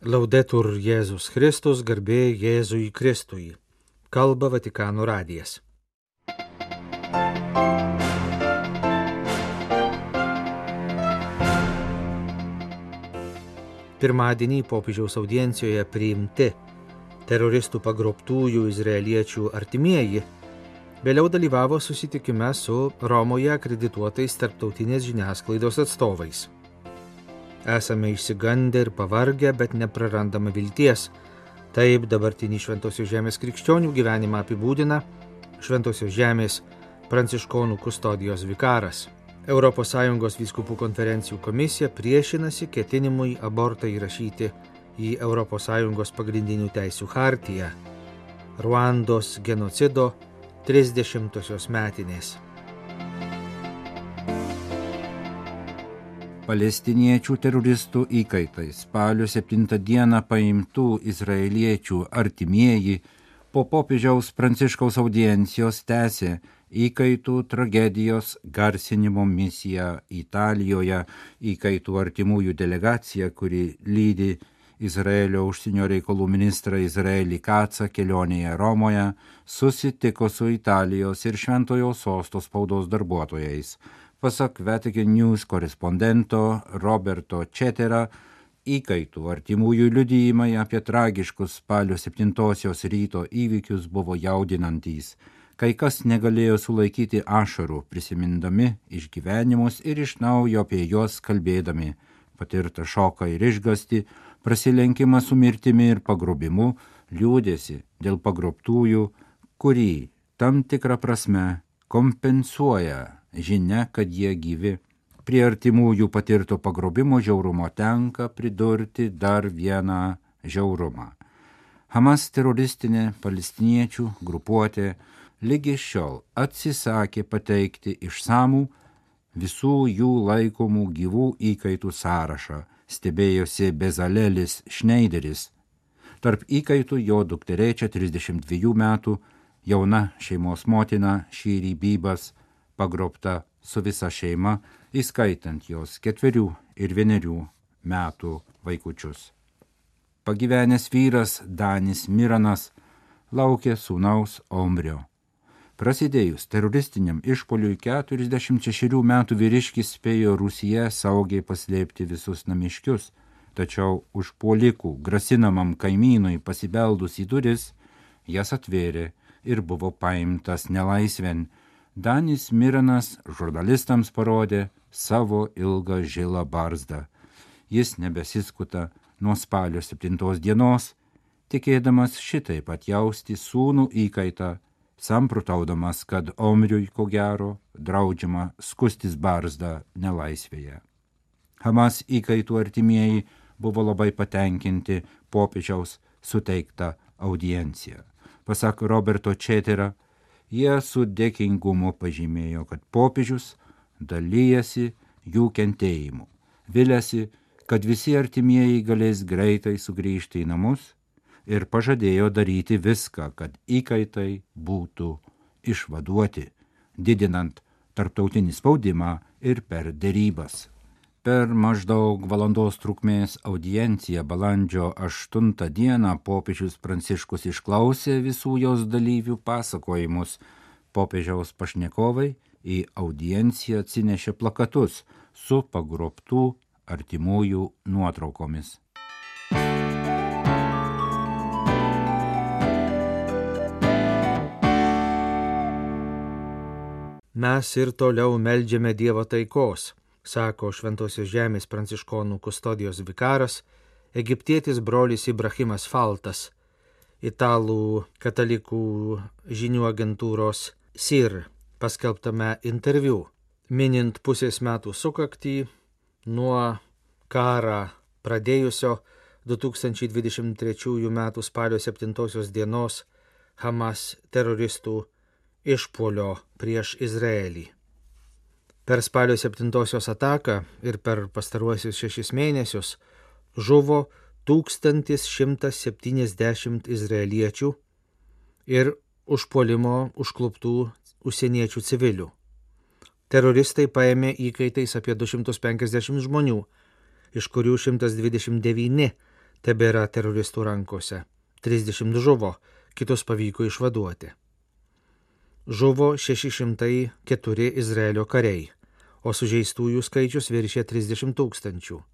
Laudetur Jėzus Kristus, garbė Jėzui Kristui. Kalba Vatikano radijas. Pirmadienį popiežiaus audiencijoje priimti teroristų pagrobtųjų izraeliečių artimieji vėliau dalyvavo susitikime su Romoje akredituotais tarptautinės žiniasklaidos atstovais. Esame išsigandę ir pavargę, bet neprarandame vilties. Taip dabartinį Šventosios Žemės krikščionių gyvenimą apibūdina Šventosios Žemės pranciškonų kustodijos vikaras. ES vyskupų konferencijų komisija priešinasi ketinimui abortą įrašyti į ES pagrindinių teisių chartiją. Ruandos genocido 30-osios metinės. Palestiniečių teroristų įkaitai spalio 7 dieną paimtų izraeliečių artimieji po popiežiaus Pranciškaus audiencijos tęsė įkaitų tragedijos garsinimo misiją Italijoje. Įkaitų artimųjų delegacija, kuri lydi Izraelio užsienio reikalų ministrą Izraelį Katsą kelionėje Romoje, susitiko su Italijos ir Šventojo Sosto spaudos darbuotojais. Pasak Vatican News korespondento Roberto Cetera, įkaitų artimųjų liudijimai apie tragiškus spalio 7-osios ryto įvykius buvo jaudinantys. Kai kas negalėjo sulaikyti ašarų, prisimindami išgyvenimus ir iš naujo apie juos kalbėdami, patirtą šoką ir išgąstį, prasilenkimą su mirtimi ir pagrobimu, liūdėsi dėl pagrobtųjų, kurį tam tikrą prasme kompensuoja žinia, kad jie gyvi. Prie artimųjų patirto pagrobimo žiaurumo tenka pridurti dar vieną žiaurumą. Hamas teroristinė palestiniečių grupuotė lygi šiol atsisakė pateikti išsamų visų jų laikomų gyvų įkaitų sąrašą, stebėjosi Bezalelis Schneideris. Tarp įkaitų jo dukterėčia 32 metų, jauna šeimos motina Šyri Bybas, pagrobta su visa šeima, įskaitant jos 4 ir 1 metų vaikučius. Pagyvenęs vyras Danis Miranas laukė sūnaus Omrio. Prasidėjus teroristiniam išpoliui 46 metų vyriškis spėjo Rūsyje saugiai paslėpti visus namiškius, tačiau užpuolikų grasinamam kaimynui pasibeldus į duris, jas atvėrė ir buvo paimtas nelaisvėn. Danis Miranas žurnalistams parodė savo ilgą žilą barzdą. Jis nebesiskuta nuo spalio 7 dienos, tikėdamas šitaip atjausti sūnų įkaitą, samprotaudamas, kad Omriui ko gero draudžiama skustis barzdą nelaisvėje. Hamas įkaitų artimieji buvo labai patenkinti popiežiaus suteiktą audienciją. Pasak Roberto Cetera, jie su dėkingumu pažymėjo, kad popiežius dalyjasi jų kentėjimu, viliasi, kad visi artimieji galės greitai sugrįžti į namus ir pažadėjo daryti viską, kad įkaitai būtų išvaduoti, didinant tarptautinį spaudimą ir per derybas. Per maždaug valandos trukmės audienciją balandžio 8 dieną popiežius Pranciškus išklausė visų jos dalyvių pasakojimus. Popiežiaus pašnekovai į audienciją atsinešė plakatus su pagrobtų artimųjų nuotraukomis. Mes ir toliau meldžiame Dievo taikos, sako Šventosios Žemės pranciškonų kustodijos vikaras, egiptietis brolis Ibrahimas Faltas, italų katalikų žinių agentūros SIR paskelbtame interviu, minint pusės metų sukaktį nuo karą pradėjusio 2023 m. spalio 7 dienos Hamas teroristų išpuolio prieš Izraelį. Per spalio 7 ataką ir per pastaruosius 6 mėnesius žuvo 1170 izraeliečių ir užpuolimo užkluptų užsieniečių civilių. Teroristai paėmė įkaitais apie 250 žmonių, iš kurių 129, tebėra teroristų rankose. 30 žuvo, kitus pavyko išvaduoti. Žuvo 604 Izraelio kariai, o sužeistųjų skaičius viršė 30 000.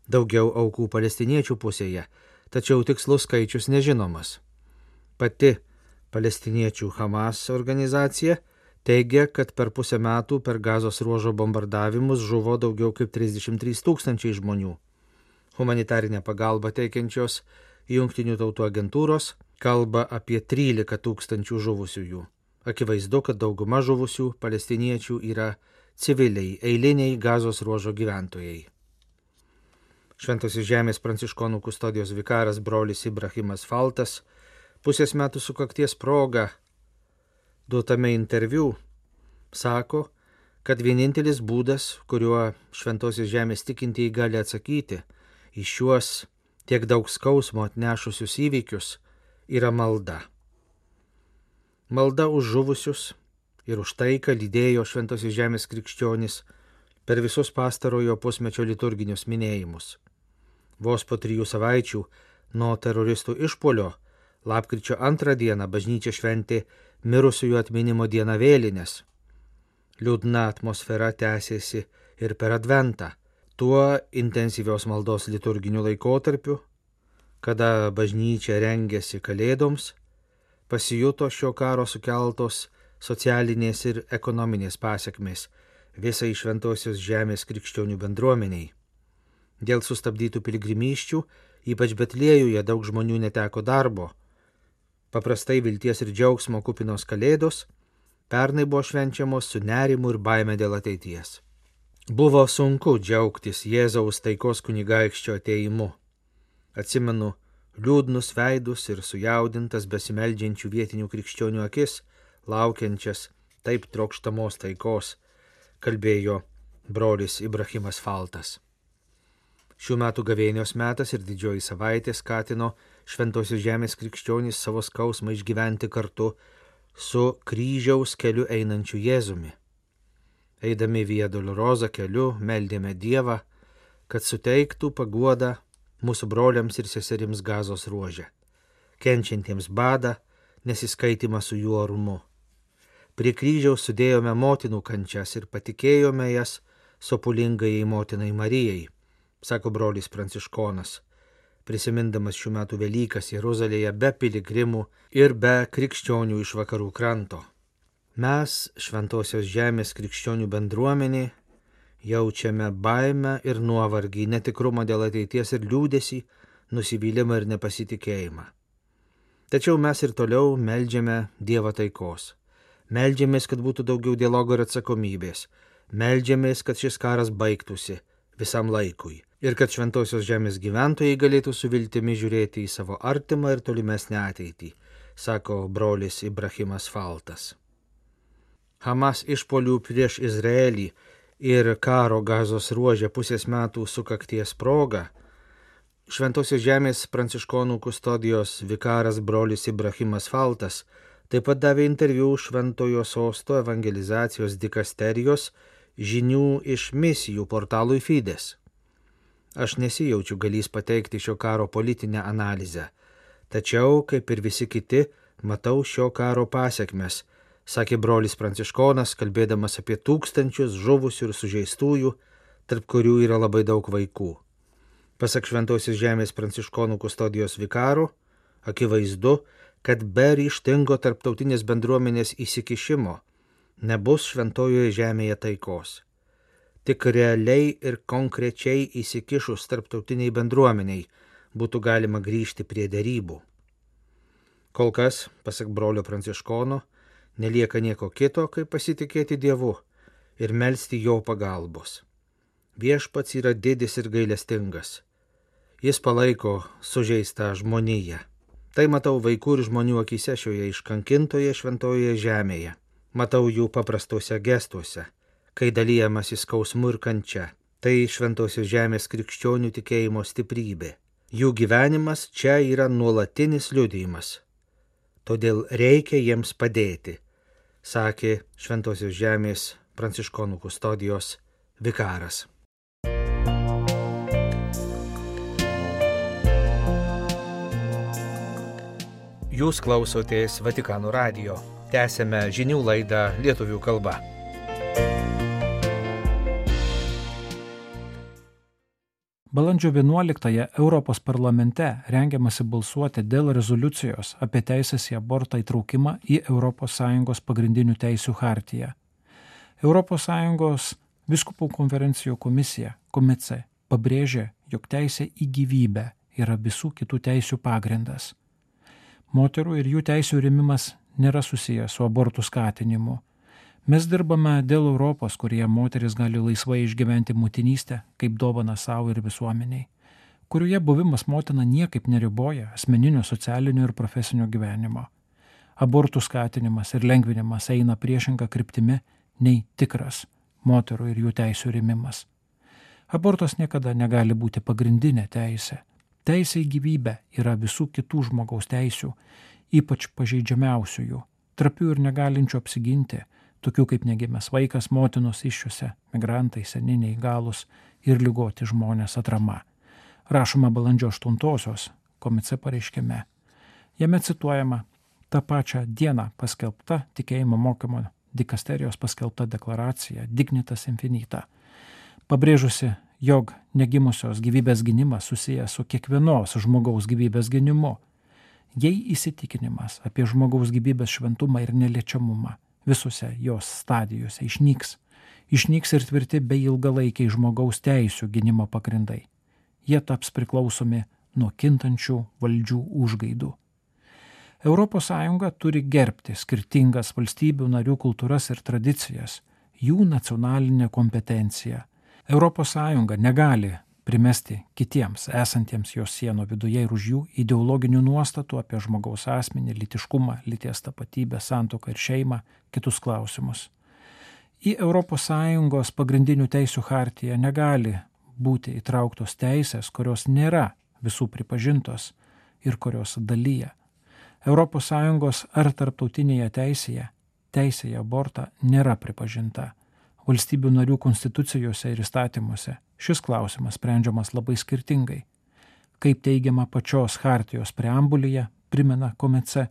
Daugiau aukų palestiniečių pusėje, tačiau tikslus skaičius nežinomas. Pati palestiniečių Hamas organizacija teigia, kad per pusę metų per Gazos ruožo bombardavimus žuvo daugiau kaip 33 000 žmonių. Humanitarinę pagalbą teikiančios Jungtinių tautų agentūros kalba apie 13 000 žuvusiųjų. Akivaizdu, kad dauguma žuvusių palestiniečių yra civiliai, eiliniai Gazos ruožo gyventojai. Šventosios žemės pranciškonų kustodijos vikaras brolis Ibrahimas Faltas pusės metų sukakties proga duotame interviu sako, kad vienintelis būdas, kuriuo šventosios žemės tikintieji gali atsakyti į šiuos tiek daug skausmo atnešusius įvykius, yra malda. Malda už žuvusius ir už taiką lydėjo šventosios žemės krikščionis per visus pastarojo pusmečio liturginius minėjimus. Vos po 3 savaičių nuo teroristų išpuolio lapkričio 2 dieną bažnyčia šventė mirusiųjų atminimo dieną vėlines. Liūdna atmosfera tęsėsi ir per Adventą, tuo intensyvios maldos liturginiu laikotarpiu, kada bažnyčia rengėsi kalėdoms, pasijuto šio karo sukeltos socialinės ir ekonominės pasekmės visai šventosios žemės krikščionių bendruomeniai. Dėl sustabdytų piligrimysčių, ypač Betliejuje, daug žmonių neteko darbo. Paprastai vilties ir džiaugsmo kupinos kalėdos pernai buvo švenčiamos su nerimu ir baime dėl ateities. Buvo sunku džiaugtis Jėzaus taikos kunigaikščio atėjimu. Atsimenu liūdnus veidus ir sujaudintas besimeldžiančių vietinių krikščionių akis, laukiančias taip trokštamos taikos, kalbėjo brolis Ibrahimas Faltas. Šių metų gavėnios metas ir didžioji savaitė skatino šventosios žemės krikščionys savo skausmą išgyventi kartu su kryžiaus keliu einančiu Jėzumi. Eidami Via Dolorosa keliu meldėme Dievą, kad suteiktų paguodą mūsų broliams ir seserims Gazos ruože, kenčiantiems badą, nesiskaitimą su jų orumu. Prie kryžiaus sudėjome motinų kančias ir patikėjome jas sopulingai motinai Marijai, sako brolis pranciškonas, prisimindamas šių metų Velykas Jeruzalėje be piligrimų ir be krikščionių iš vakarų kranto. Mes, šventosios žemės krikščionių bendruomenė, jaučiame baimę ir nuovargį, netikrumą dėl ateities ir liūdesį, nusivylimą ir nepasitikėjimą. Tačiau mes ir toliau meldžiame Dievą taikos. Meldžiamės, kad būtų daugiau dialogo ir atsakomybės. Meldžiamės, kad šis karas baigtųsi visam laikui ir kad šventosios žemės gyventojai galėtų su viltimi žiūrėti į savo artimą ir tolimesnę ateitį, sako brolis Ibrahimas Faltas. Hamas išpuolių prieš Izraelį ir karo Gazos ruože pusės metų sukakties proga šventosios žemės pranciškonų kustodijos vikaras brolis Ibrahimas Faltas taip pat davė interviu Šventojo Sosto evangelizacijos dikasterijos žinių iš misijų portalui Fides. Aš nesijaučiu galįs pateikti šio karo politinę analizę, tačiau, kaip ir visi kiti, matau šio karo pasekmes, sakė brolis pranciškonas, kalbėdamas apie tūkstančius žuvusių ir sužeistųjų, tarp kurių yra labai daug vaikų. Pasak šventosios žemės pranciškonų kustodijos vikaro, akivaizdu, kad be ryžtingo tarptautinės bendruomenės įsikišimo nebus šventojoje žemėje taikos. Tik realiai ir konkrečiai įsikišus tarptautiniai bendruomeniai būtų galima grįžti prie derybų. Kol kas, pasak brolio pranciškono, nelieka nieko kito, kaip pasitikėti Dievu ir melsti jo pagalbos. Viešpats yra didis ir gailestingas. Jis palaiko sužeistą žmoniją. Tai matau vaikų ir žmonių akyse šioje iškankintoje šventojoje žemėje. Matau jų paprastuose gestuose, kai dalyjamasi skausmu ir kančia. Tai šventosios žemės krikščionių tikėjimo stiprybė. Jų gyvenimas čia yra nuolatinis liudijimas. Todėl reikia jiems padėti, sakė šventosios žemės pranciškonų kustodijos vikaras. Jūs klausotės Vatikano radijo. Tęsėme žinių laidą lietuvių kalba. Balandžio 11-ąją Europos parlamente rengiamasi balsuoti dėl rezoliucijos apie teisės į abortą įtraukimą į ES pagrindinių teisių chartiją. ES Vyskupų konferencijų komisija, Komice, pabrėžė, jog teisė į gyvybę yra visų kitų teisių pagrindas. Moterų ir jų teisių rėmimas nėra susijęs su abortų skatinimu. Mes dirbame dėl Europos, kurioje moteris gali laisvai išgyventi motinystę kaip dovaną savo ir visuomeniai, kurioje buvimas motina niekaip neriboja asmeninio, socialinio ir profesinio gyvenimo. Abortų skatinimas ir lengvinimas eina priešinga kryptimi nei tikras moterų ir jų teisių rėmimas. Abortas niekada negali būti pagrindinė teisė. Teisė į gyvybę yra visų kitų žmogaus teisių, ypač pažeidžiamiausiųjų, trapių ir negalinčių apsiginti, tokių kaip negimęs vaikas, motinos įsčiose, migrantai, seni neįgalūs ir ligoti žmonės atrama. Rašoma balandžio 8-osios Komice pareiškime. Jame cituojama tą pačią dieną paskelbta tikėjimo mokymo dikasterijos paskelbta deklaracija Dignitas Infinita, pabrėžusi, jog negimusios gyvybės gynimas susijęs su kiekvienos žmogaus gyvybės gynimu. Jei įsitikinimas apie žmogaus gyvybės šventumą ir neliečiamumą visose jos stadijose išnyks ir tvirti bei ilgalaikiai žmogaus teisių gynimo pagrindai. Jie taps priklausomi nuo kintančių valdžių užgaidų. ES turi gerbti skirtingas valstybių narių kultūras ir tradicijas, jų nacionalinę kompetenciją. ES negali primesti kitiems esantiems jos sienų viduje ir už jų ideologinių nuostatų apie žmogaus asmenį, lytiškumą, lyties tapatybę, santuoką ir šeimą, kitus klausimus. Į ES pagrindinių teisių chartiją negali būti įtrauktos teisės, kurios nėra visų pripažintos ir kurios dalyja. ES ar tarptautinėje teisėje teisė į abortą nėra pripažinta. Valstybių narių konstitucijose ir įstatymuose šis klausimas sprendžiamas labai skirtingai. Kaip teigiama pačios chartijos preambulyje, primena Komice,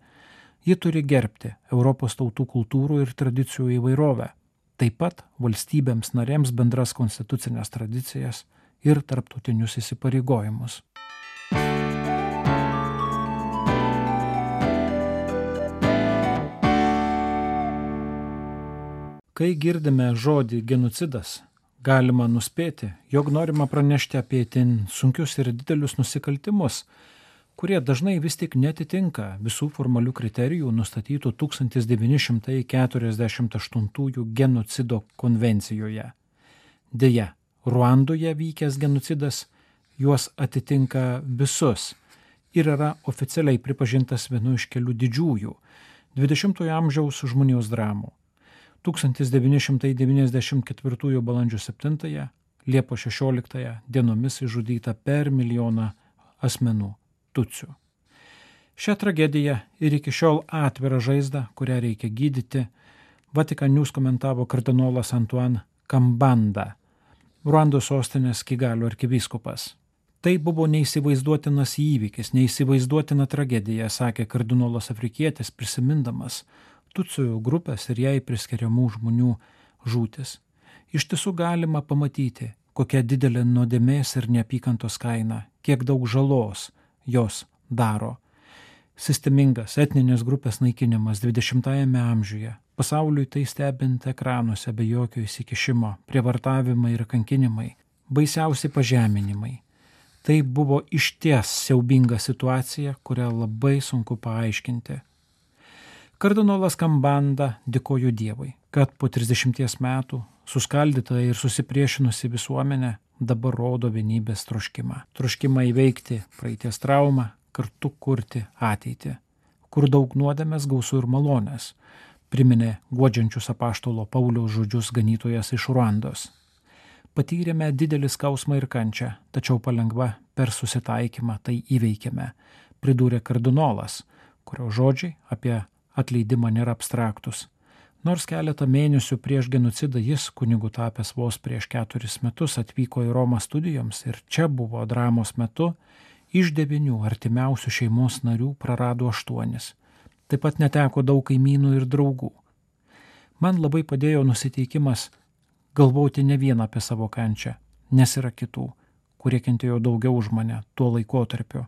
ji turi gerbti Europos tautų kultūrų ir tradicijų įvairovę, taip pat valstybėms narėms bendras konstitucinės tradicijas ir tarptautinius įsipareigojimus. Kai girdime žodį genocidas, galima nuspėti, jog norima pranešti apie itin sunkius ir didelius nusikaltimus, kurie dažnai vis tik netitinka visų formalių kriterijų nustatytų 1948 genocido konvencijoje. Deja, Ruandoje vykęs genocidas juos atitinka visus ir yra oficialiai pripažintas vienu iš kelių didžiųjų 20-ojo amžiaus žmonijos dramų. 1994 balandžio 7, Liepos 16 dienomis išžudyta per 1 milijoną asmenų tutsių. Šią tragediją ir iki šiol atvirą žaizdą, kurią reikia gydyti, Vatican News komentavo kardinolas Antoine Kambanda, Ruandos sostinės Kigalio arkivyskupas. Tai buvo neįsivaizduotinas įvykis, neįsivaizduotina tragedija, sakė kardinolas afrikietis, prisimindamas tutsių grupės ir jai priskiriamų žmonių žūtis. Iš tiesų galima pamatyti, kokia didelė nuodėmės ir neapykantos kaina, kiek daug žalos jos daro. Sistemingas etninės grupės naikinimas 20-ame amžiuje, pasauliui tai stebint ekranuose be jokio įsikišimo, prievartavimai ir kankinimai, baisiausi pažeminimai. Tai buvo išties siaubinga situacija, kurią labai sunku paaiškinti. Kardinolas Kambanda dėkojo Dievui, kad po 30 metų suskaldyta ir susipriešinusi visuomenė dabar rodo vienybės troškimą. Troškimą įveikti praeities traumą, kartu kurti ateitį, kur daug nuodėmės, gausų ir malonės, priminė guodžiančius apaštalo Pauliaus žodžius ganytojas iš Ruandos. Patyrėme didelį skausmą ir kančią, tačiau palengva per susitaikymą tai įveikėme, pridūrė kardinolas, kurio žodžiai apie atleidimą nėra abstraktus. Nors keletą mėnesių prieš genocidą jis, kunigu tapęs vos prieš 4 metus, atvyko į Romą studijoms ir čia buvo dramos metu Iš 9 artimiausių šeimos narių prarado 8. Taip pat neteko daug kaimynų ir draugų. Man labai padėjo nusiteikimas galvoti ne vien apie savo kančią, nes yra kitų, kurie kentėjo daugiau už mane tuo laikotarpiu,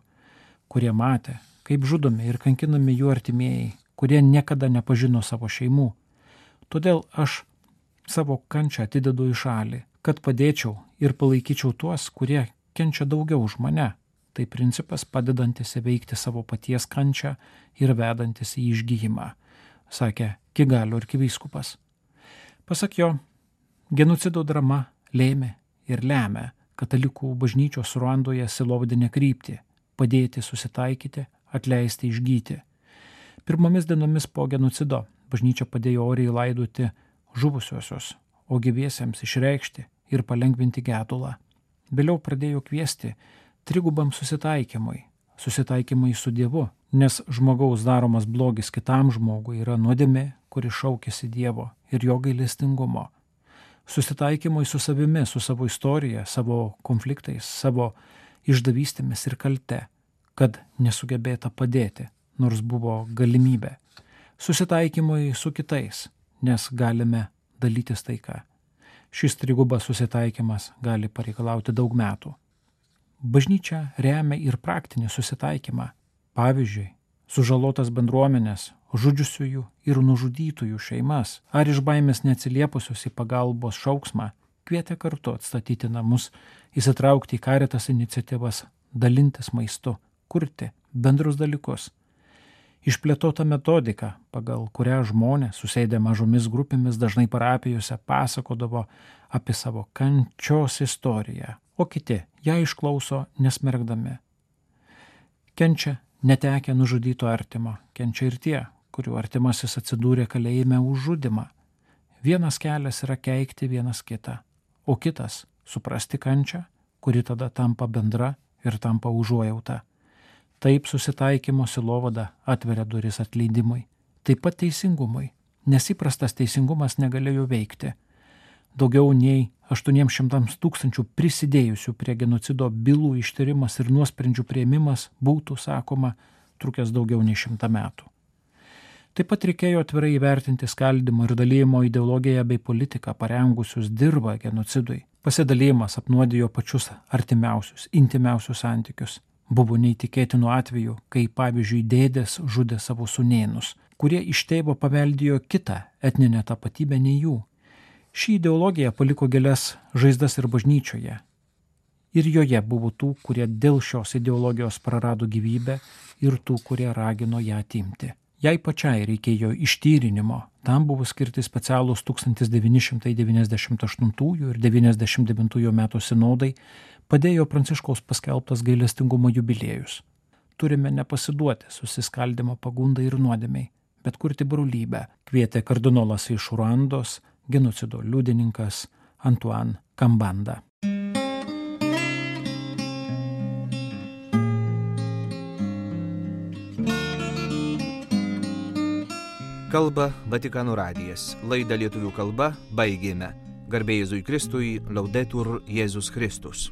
kurie matė, kaip žudomi ir kankinami jų artimieji, kurie niekada nepažino savo šeimų. Todėl aš savo kančią atidedu į šalį, kad padėčiau ir palaikyčiau tuos, kurie kenčia daugiau už mane. Tai principas padedantis įveikti savo paties kančią ir vedantis į išgijimą, sakė Kigalio arkivyskupas. Pasak jo, genocido drama lėmė ir lemia katalikų bažnyčios Ruandoje sielovadinę kryptį – padėti susitaikyti, atleisti, išgyti. Pirmomis dienomis po genocido bažnyčia padėjo oriai laidoti žuvusiosius, o gyviesiems išreikšti ir palengvinti gedulą. Vėliau pradėjo kviesti trigubam susitaikymui su Dievu, nes žmogaus daromas blogis kitam žmogui yra nuodėmė, kuri šaukiasi Dievo ir jo gailestingumo. Susitaikymui su savimi, su savo istorija, savo konfliktais, savo išdavystėmis ir kalte, kad nesugebėta padėti, nors buvo galimybė. Susitaikymui su kitais, nes galime dalytis taika. Šis trigubas susitaikymas gali pareikalauti daug metų. Bažnyčia remia ir praktinį susitaikymą. Pavyzdžiui, sužalotas bendruomenės, žudžiusiųjų ir nužudytųjų šeimas ar iš baimės neatsiliepusios į pagalbos šauksmą kvietė kartu atstatyti namus, įsitraukti į Caritas iniciatyvas, dalintis maistu, kurti bendrus dalykus. Išplėtota metodika, pagal kurią žmonės, susėdę mažomis grupėmis, dažnai parapijose pasakodavo apie savo kančios istoriją, o kiti ją išklauso nesmerkdami. Kenčia netekę nužudyto artimo, kenčia ir tie, kurių artimasis atsidūrė kalėjime už žudymą. Vienas kelias yra keikti vienas kitą, o kitas suprasti kančią, kuri tada tampa bendra ir tampa užuojauta. Taip susitaikymo sielovada atveria duris atleidimui, taip pat teisingumui, nes įprastas teisingumas negalėjo veikti. Daugiau nei 800 000 prisidėjusių prie genocido bylų ištyrimas ir nuosprendžių priėmimas būtų, sakoma, trukęs daugiau nei 100 metų. Taip pat reikėjo atvirai įvertinti skaldymo ir dalymo ideologiją bei politiką parengusius dirvą genocidui. Pasidalymas apnuodijo pačius artimiausius, intimiausius santykius. Buvo neįtikėtinų atvejų, kai pavyzdžiui dėdės žudė savo sūnėnus, kurie iš tėvo paveldėjo kitą etninę tapatybę nei jų. Ši ideologija paliko gilias žaizdas ir bažnyčioje. Ir joje buvo tų, kurie dėl šios ideologijos prarado gyvybę ir tų, kurie ragino ją atimti. Jai pačiai reikėjo ištyrinimo, tam buvo skirti specialūs 1998 ir 99 metų sinodai, padėjo Pranciškaus paskelbtas gailestingumo jubiliejus. Turime nepasiduoti susiskaldimo pagundai ir nuodėmiai, bet kurti brolybę, kvietė kardinolas iš Ruandos, genocido liudininkas Antoine Kambanda. Kalba Vatikano radijas. Laidą lietuvių kalba baigėme. Garbė Jėzui Kristui, Laudetur Jėzus Kristus.